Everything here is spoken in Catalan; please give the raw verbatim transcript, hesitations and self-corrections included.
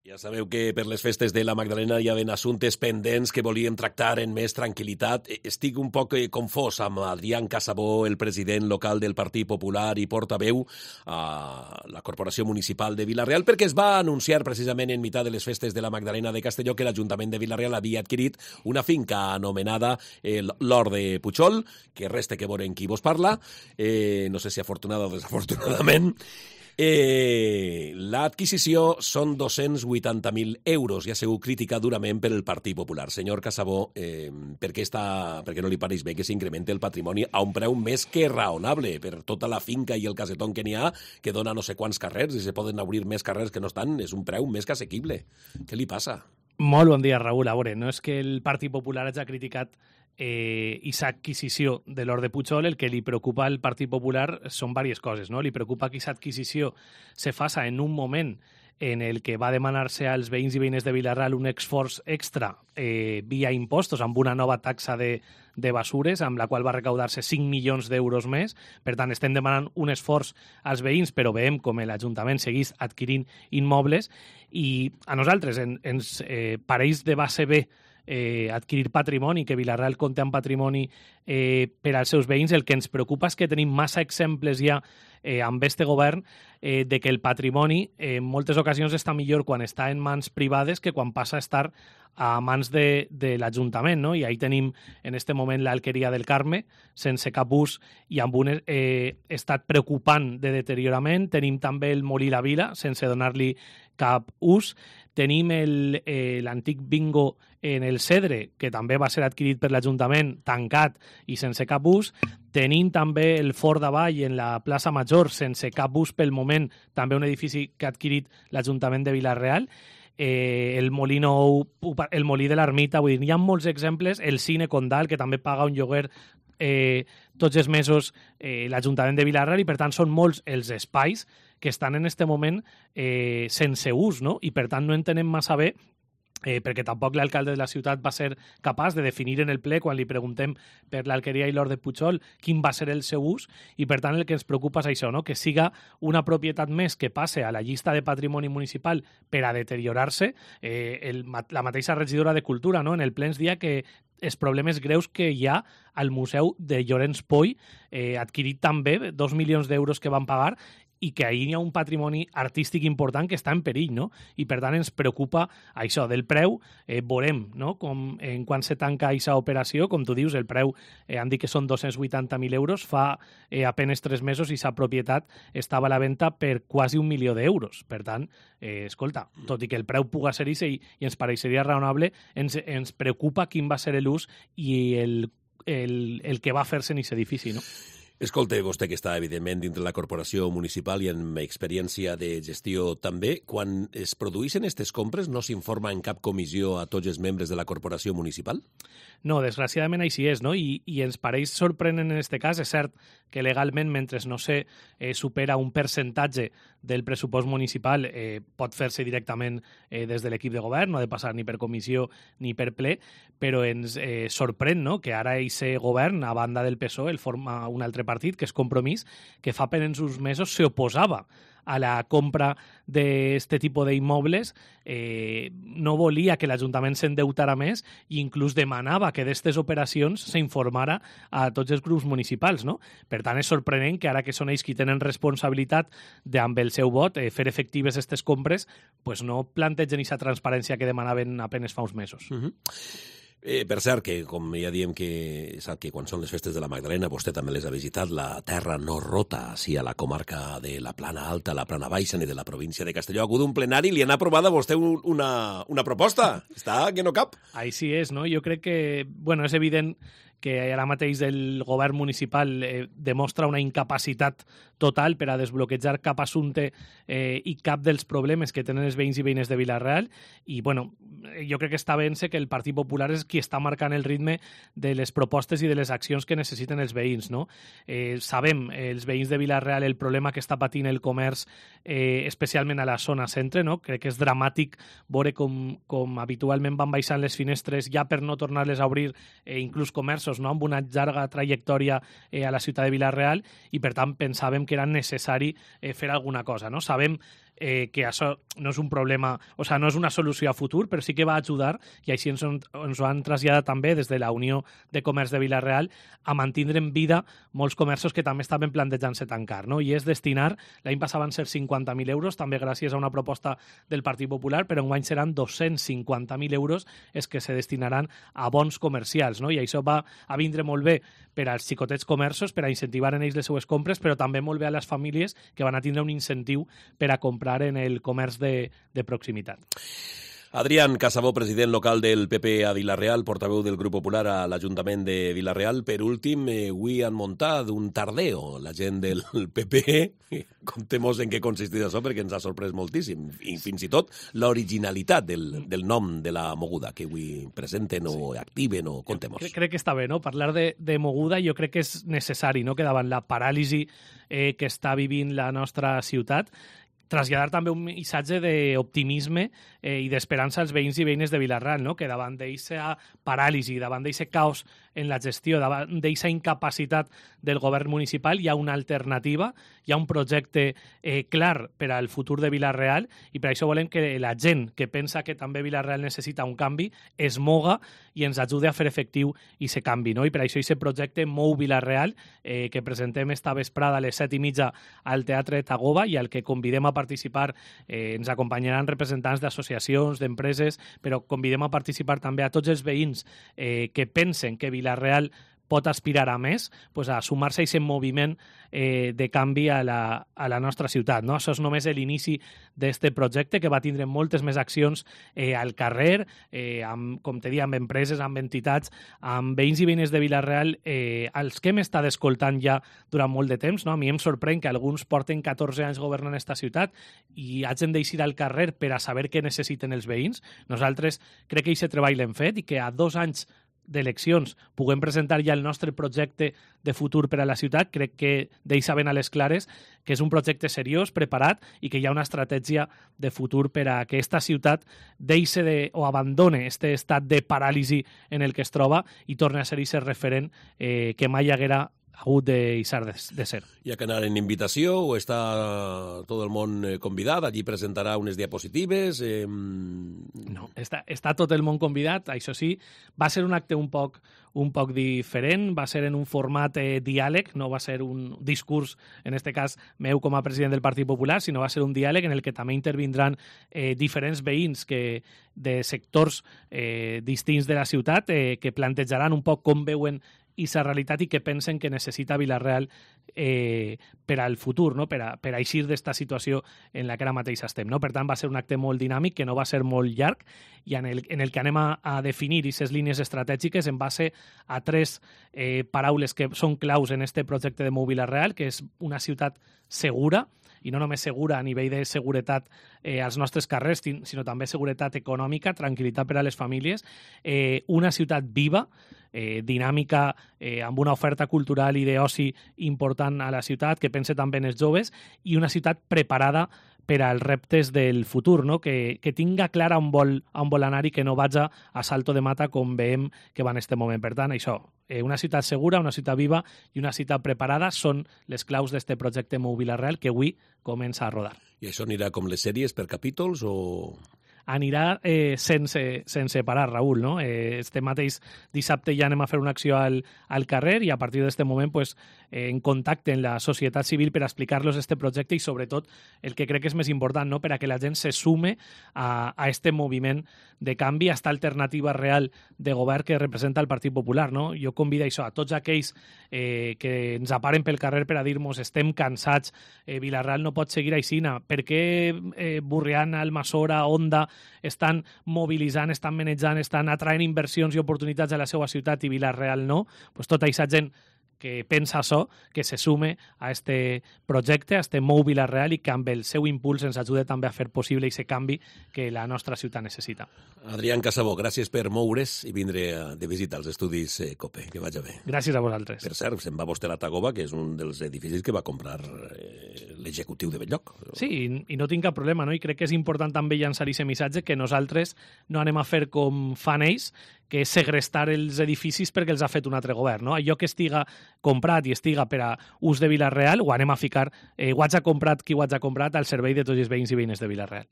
Ja sabeu que per les festes de la Magdalena hi havia assumptes pendents que volíem tractar en més tranquil·litat. Estic un poc confós amb Adrián Casabó, el president local del Partit Popular i portaveu a la Corporació Municipal de Vila-real, perquè es va anunciar precisament en mitjà de les festes de la Magdalena de Castelló que l'Ajuntament de Vila-real havia adquirit una finca anomenada l'Hort de Puigol, que resta que veurem qui vos parla, eh, no sé si afortunada o desafortunadament. Eh, L'adquisició són dos-cents vuitanta mil euros i ha sigut crítica durament per el Partit Popular. Senyor Casabó, eh, per, què està, per què no li pareix bé que s'incrementi el patrimoni a un preu més que raonable per tota la finca i el casetón que n'hi ha, que dona no sé quants carrers i se poden obrir més carrers que no estan? És un preu més que assequible. Què li passa? Molt bon dia, Raül. A veure, no és que el Partit Popular hagi criticat eh, aquesta adquisició de l'Hort de Puigol. El que li preocupa al Partit Popular són diverses coses, no? Li preocupa que aquesta adquisició se faça en un moment en el que va demanar-se als veïns i veïnes de Vila-real un esforç extra eh, via impostos amb una nova taxa de, de basures, amb la qual va recaudar-se cinc milions d'euros més. Per tant, estem demanant un esforç als veïns, però veiem com l'Ajuntament segueix adquirint immobles i a nosaltres en, ens eh, pareix de base bé Eh, adquirir patrimoni, que Vila-real compta amb patrimoni eh, per als seus veïns. El que ens preocupa és que tenim massa exemples ja eh, amb este govern eh, de que el patrimoni eh, en moltes ocasions està millor quan està en mans privades que quan passa a estar a mans de, de l'Ajuntament, no? I ahí tenim en este moment l'Alqueria del Carme, sense cap ús i amb un eh, estat preocupant de deteriorament. Tenim també el Molí la Vila, sense donar-li cap ús. Tenim eh, l'antic bingo en el Cedre, que també va ser adquirit per l'Ajuntament, tancat i sense cap ús. Tenim també el Fort d'Avall en la plaça Major, sense cap ús pel moment, també un edifici que ha adquirit l'Ajuntament de Vila-real. Eh, el Molí Nou, el Molí de l'Ermita, vull dir, hi ha molts exemples. El Cine Condal, que també paga un lloguer eh, tots els mesos eh, l'Ajuntament de Vila-real, i per tant són molts els espais que estan en este moment eh, sense ús, no? I per tant no entenem massa bé Eh, perquè tampoc l'alcalde de la ciutat va ser capaç de definir en el ple, quan li preguntem per l'Alqueria i l'Hort de Puigol, quin va ser el seu ús, i per tant el que ens preocupa és això, no? Que siga una propietat més que passe a la llista de patrimoni municipal per a deteriorar-se. Eh, el, la mateixa regidora de Cultura, no? En el ple ens dia que els problemes greus que hi ha al Museu de Llorenç Poy, eh, adquirit també dos milions d'euros que van pagar, i que ahir hi ha un patrimoni artístic important que està en perill, no? I per tant ens preocupa això del preu. Eh, veurem, no? Com, en quan se tanca aquesta operació, com tu dius, el preu eh, han dit que són dos-cents vuitanta mil euros, fa eh, apenes tres mesos i sa propietat estava a la venda per quasi un milió d'euros. Per tant, eh, escolta, tot i que el preu puga ser ese i, i ens pareixeria raonable, ens, ens preocupa quin va ser l'ús i el, el, el que va fer-se en aquest edifici, no? Escolta, vostè que està, evidentment, dintre la corporació municipal i amb experiència de gestió també, quan es produeixen aquestes compres no s'informa en cap comissió a tots els membres de la corporació municipal? No, desgraciadament així és, no? I, i ens pareix sorprenent en aquest cas. És cert que legalment, mentre no se eh, supera un percentatge del pressupost municipal, eh, pot fer-se directament eh, des de l'equip de govern, no ha de passar ni per comissió ni per ple, però ens eh, sorprèn, no?, que ara aquest govern, a banda del P S O E, el forma un altre partit, que és Compromís, que fa apenas uns mesos se oposava a la compra d'aquest tipus d'immobles, eh, no volia que l'Ajuntament s'endeutara més i inclús demanava que d'aquestes operacions s'informara a tots els grups municipals, no? Per tant, és sorprenent que ara que són ells qui tenen responsabilitat de, amb el seu vot, eh, fer efectives aquestes compres, pues no plantegen aquesta transparència que demanaven apenas fa uns mesos. Uh-huh. Eh, per cert, que com ja diem que sap que quan són les festes de la Magdalena vostè també les ha visitat, la terra no rota, sí, a la comarca de la Plana Alta, la Plana Baixa i de la província de Castelló. Ha hagut un plenari, li han aprovat a vostè un, una, una proposta. Està que no cap. Així és, no? Jo crec que, bueno, és evident que ara mateix el govern municipal eh, demostra una incapacitat total per a desbloquejar cap assumpte eh, i cap dels problemes que tenen els veïns i veïnes de Vila-real. I, bueno, jo crec que està bé-se que el Partit Popular és qui està marcant el ritme de les propostes i de les accions que necessiten els veïns, no? Eh, sabem, els veïns de Vila-real, el problema que està patint el comerç, eh, especialment a la zona centre, no? Crec que és dramàtic veure com, com habitualment van baixant les finestres ja per no tornar-les a obrir, eh, inclús comerços, no? Amb una llarga trajectòria eh, a la ciutat de Vila-real, i per tant pensàvem que era necessari eh, fer alguna cosa, no? Sabem eh, que això no és un problema, o sigui, no és una solució a futur, però sí que va ajudar, i així ens, ens ho han traslladat també des de la Unió de Comerç de Vila-real, a mantindre en vida molts comerços que també estaven plantejant-se tancar, no? I és destinar, l'any passat van ser cinquanta mil euros, també gràcies a una proposta del Partit Popular, però enguany seran dos-cents cinquanta mil euros els que se destinaran a bons comercials, no? I això va a vindre molt bé per als xicotets comerços, per a incentivar en ells les seues compres, però també molt bé a les famílies que van a tindre un incentiu per a comprar en el comerç de, de proximitat. Adrián Casabó, president local del P P a Vila-real, portaveu del Grup Popular a l'Ajuntament de Vila-real. Per últim, eh, avui han muntat un tardeo la gent del P P. Contem-nos en què consisteix això, perquè ens ha sorprès moltíssim. I fins i tot l'originalitat del, del nom de la moguda que avui presenten o activen o contem-nos. Crec, crec que està bé, no? Parlar de, de moguda jo crec que és necessari, no? Que davant la paràlisi eh, que està vivint la nostra ciutat, traslladar també un missatge d'optimisme eh, i d'esperança als veïns i veïnes de Vila-real, no? Que davant d'aquesta paràlisi, davant d'aquest caos en la gestió, davant d'aquesta incapacitat del govern municipal, hi ha una alternativa, hi ha un projecte eh, clar per al futur de Vila-real, i per això volem que la gent que pensa que també Vila-real necessita un canvi es moga i ens ajude a fer efectiu aquest canvi, no? I per això aquest projecte Mou Vila-real, eh, que presentem esta vesprada a les set i mitja al Teatre Tagoba i al que convidem a participar, eh, ens acompanyaran representants d'associacions, d'empreses, però convidem a participar també a tots els veïns eh, que pensen que Vila-real pot aspirar a més, pues a sumar-se a aquest moviment eh, de canvi a la, a la nostra ciutat. No? Això és només l'inici d'aquest projecte, que va tindre moltes més accions eh, al carrer, eh, amb, com te dia, amb empreses, amb entitats, amb veïns i veïnes de Vila-real, eh, als que hem estat escoltant ja durant molt de temps. No? A mi em sorprèn que alguns porten catorze anys governant aquesta ciutat i hagin d'eixir al carrer per a saber què necessiten els veïns. Nosaltres crec que aquest treball l'hem fet i que a dos anys d'eleccions puguem presentar ja el nostre projecte de futur per a la ciutat, crec que deixa ben a les clares que és un projecte seriós, preparat, i que hi ha una estratègia de futur per a que aquesta ciutat deixi de, o abandone aquest estat de paràlisi en el que es troba i torni a ser aquest referent eh, que mai haguera hagut de deixar de, de ser. Hi ha que anar en invitació o està tot el món convidat? Allí presentarà unes diapositives? Eh... No, està, està tot el món convidat. Això sí, va ser un acte un poc, un poc diferent, va ser en un format eh, diàleg, no va ser un discurs, en aquest cas meu com a president del Partit Popular, sinó va ser un diàleg en el que també intervindran eh, diferents veïns que, de sectors eh, distints de la ciutat eh, que plantejaran un poc com veuen i la realitat i que pensen que necessita Vila-real eh, per al futur, no? per, a, per a eixir d'esta situació en la que ara mateix estem. No? Per tant, va ser un acte molt dinàmic, que no va ser molt llarg, i en el, en el que anem a, a definir aquestes línies estratègiques en base a tres eh, paraules que són claus en este projecte de Mou Vila-real, que és una ciutat segura, i no només segura a nivell de seguretat eh, als nostres carrers, sinó també seguretat econòmica, tranquil·litat per a les famílies, eh, una ciutat viva, eh, dinàmica, eh, amb una oferta cultural i d'oci important a la ciutat, que pense també en els joves, i una ciutat preparada per als reptes del futur, no? que, que tinga clar on vol, on vol anar i que no vagi a salto de mata com veiem que va en aquest moment. Per tant, això, eh, una ciutat segura, una ciutat viva i una ciutat preparada són les claus d'aquest projecte Mou Vila-real que avui comença a rodar. I això anirà com les sèries per capítols o...? Anirà eh, sense, sense parar, Raül, no? Eh, este mateix dissabte ja anem a fer una acció al, al carrer i a partir d'aquest moment pues, eh, en contacte amb la societat civil per explicar-los este projecte i sobretot el que crec que és més important, no? Per a que la gent se sume a, a este moviment de canvi, a esta alternativa real de govern que representa el Partit Popular. No? Jo convido això a tots aquells eh, que ens aparen pel carrer per a dir-nos estem cansats, eh, Vila-real no pot seguir així, per què eh, Burriana, Almassora, Onda estan mobilitzant, estan manejant, estan atraent inversions i oportunitats a la seva ciutat i Vila-real no? Pues tota aquesta gent que pensa això, que se sume a este projecte, a este Mou Vila-real i que amb el seu impuls ens ajuda també a fer possible aquest canvi que la nostra ciutat necessita. Adrián Casabó, gràcies per moure's i vindre de visita als estudis eh, COPE. Que vagi bé. Gràcies a vosaltres. Per cert, se'n va vostè a la Tagoba, que és un dels edificis que va comprar eh, l'executiu de Belllloc. Sí, i, i no tinc cap problema, no? I crec que és important també llançar aquest missatge que nosaltres no anem a fer com fan ells, que és segrestar els edificis perquè els ha fet un altre govern. No? Allò que estiga comprat i estiga per a ús de Vila-real ho anem a ficar, eh, ho haig comprat qui ho haig comprat al servei de tots els veïns i veïnes de Vila-real.